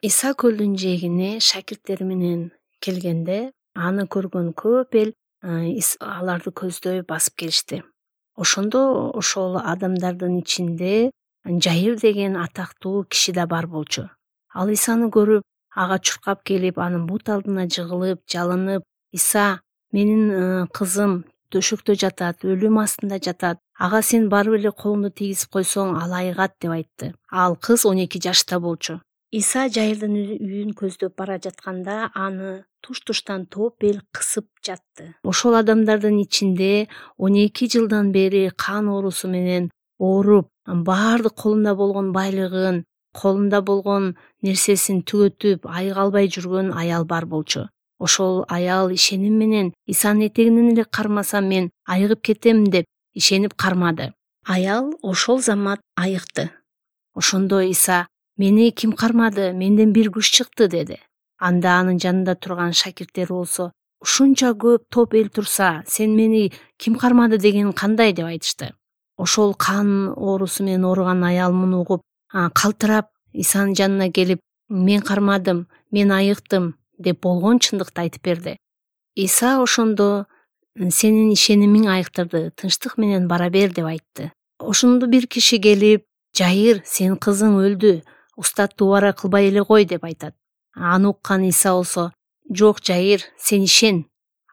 Иса көлдүн жээгине шакирттери менен келгенде аны көргөн көп эл аларды көздөй басып келишти. Ошондо ошол адамдардын ичинде Жайыр деген атактуу киши да бар болчу. Ал Исаны көрүп, ага чуркап келип, анын бут алдына жыгылып, жалынып: "Иса, менин кызым төшөктө жатат, өлүм астында жатат. Ага сен барып эле колуңду тийгизип койсоң, ал айыгат", деп айтты. Ал кыз 12 жашта болчу. Иса Жайырдын үйүн көздөп бара жатканда аны туш-туштан топ эл кысып жатты. Ошол адамдардын ичинде 12 жылдан бери кан оорусу менен ооруп, баардык колунда болгон байлыгын, колунда болгон нерсесин түгөтүп, айыга албай жүргөн аял бар болчу. Ошол аял ишеним менен: "Исанын этегинен эле кармасам мен айыгып кетем" деп ишенип кармады. Аял ошол замат айыкты. Ошондо Иса: "Мени ким кармады? Менден бир күч чыкты", деди. Анда анын жанында турган шакирттери болсо: "Ушунча көп топ эл турса, сен мени ким кармады дегениң кандай?" деп айтышты. Ошол кан оорусу менен ооруган аял муну угуп, калтырап Исанын жанына келип: "Мен кармадым, мен айыктым" деп болгон чындыкты айтып берди. Иса ошондо: "Сенин ишенимиң айыктырды, тынчтык менен бара бер" деп айтты. Ошондо бир киши келип: "Жайыр, сенин кызың өлдү, устатты убара кылбай эле кой" деп айтат. Аны уккан Иса болсо: "Жок, Жайыр, сен ишен".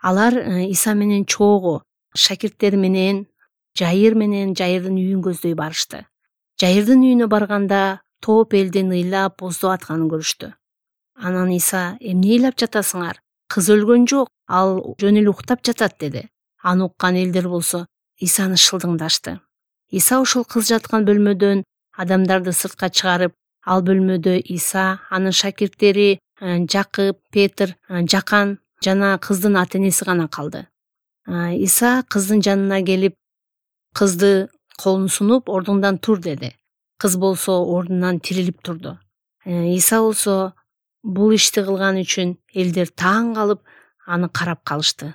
Алар Иса менен чогуу шакирттери менен Жайыр менен Жайырдын үйүн көздөй барышты. Жайырдын үйүнө барганда топ элдин ыйлап, боздоп атканын көрүштү. Анан Иса: "Эмне ыйлап жатасыңар? Кыз өлгөн жок, ал жөн эле уктап жатат" деди. Аны уккан элдер болсо Исаны шылдыңдашты. Иса ошол кыз жаткан бөлмөдөн адамдарды сыртка чыгарып, ал бөлмөдө Иса, анын шакирттери Жакып, Петр, Жакан жана кыздын ата-энеси гана калды. Иса кыздын жанына келип, кызды колун сунуп, ордуңдан тур деди. Кыз болсо ордунан тирилип турду. Иса болсо бул ишти кылган үчүн элдер таң калып аны карап калышты.